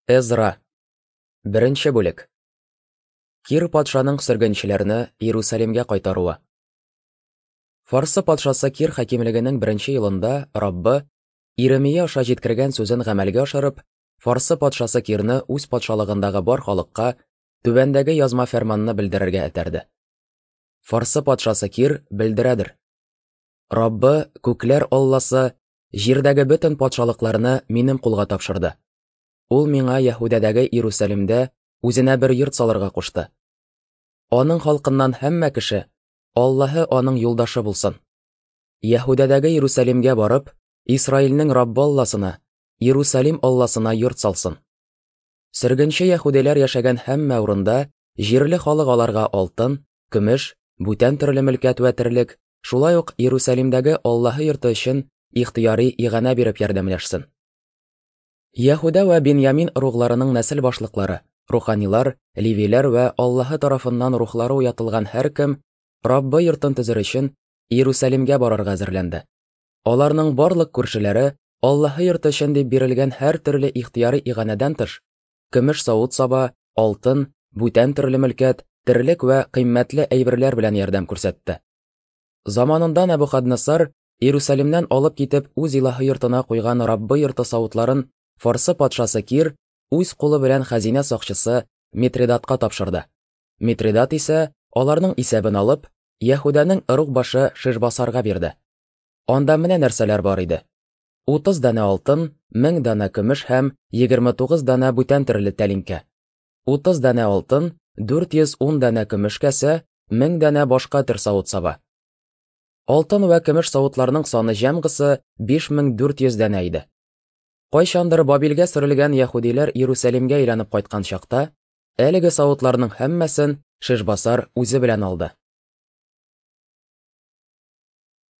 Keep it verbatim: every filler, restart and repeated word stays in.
Эзра. Беренче бүлек. Кир патшаның сөргенчеләрне Иерусалимгә кайтаруы. Фарсы патшасы Кир хакимлегенең беренче елында Раббы Иеремия аша җиткергән сүзен гамәлгә ашырып, Фарсы патшасы Кирны үз патшалыгындагы бар халыкка түбәндәге язма фәрманны белдерергә этәрде. Фарсы патшасы Кир белдерәдер: Раббы, күкләр Алласы, җирдәге бөтен патшалыкларны минем кулга тапшырды. Ул миңа Яһүдәдәге Иерусалимдә үзенә бер йорт салырга кушты. Аның халкыннан һәммә кеше Аллаһы аның юлдашы булсын. Яһүдәдәге Иерусалимгә барып, Исраилнең Раббы Алласына, Иерусалим Алласына йорт салсын. Сөргенче яһүдиләр яшәгән һәммә урында җирле халык аларга алтын, көмеш, бүтән төрле мөлкәт вә терлек, шулай ук Иерусалимдәге Аллаһы йорты өчен ихтыяри иганә биреп ярдәмләшсен. Яһүдә вә Беньямин ыругларының нәсел башлыклары, руханилар, левиләр вә Аллаһы тарафыннан рухлары уятылган һәркем Раббы йортын төзер өчен Иерусалимгә барырга әзерләнде. Аларның барлык күршеләре Аллаһы йорты өчен дип бирелгән һәр төрле ихтыяри иганәдән тыш, көмеш савыт-саба, алтын, бүтән төрле мөлкәт, терлек вә кыйммәтле әйберләр белән ярдәм күрсәтте. Заманында Нәбухаднессар Иерусалимнән алып китеп үз илаһы йортына куйган Раббы йорты савытларын Фарсы патшасы Кир үз кулы белән хәзинә сакчысы Митридатка тапшырды. Митридат исә аларның исәбен алып, Яһүдәнең ыруг башы Шишбасарга бирде. Анда менә нәрсәләр бар иде: утыз данә алтын, мең данә көмеш һәм егерме тугыз данә бүтән төрле тәлинкә. утыз данә алтын, дүрт йөз ун данә көмеш кәсә, мең данә башка төр савыт-саба. Алтын вә көмеш савытларның саны җәмгысы биш мең дүрт йөз данә иде. Кайчандыр Бабилгә сөрелгән яһүдиләр Иерусалимгә әйләнеп кайткан чакта, әлеге савытларның һәммәсен Шишбасар үзе белән алды.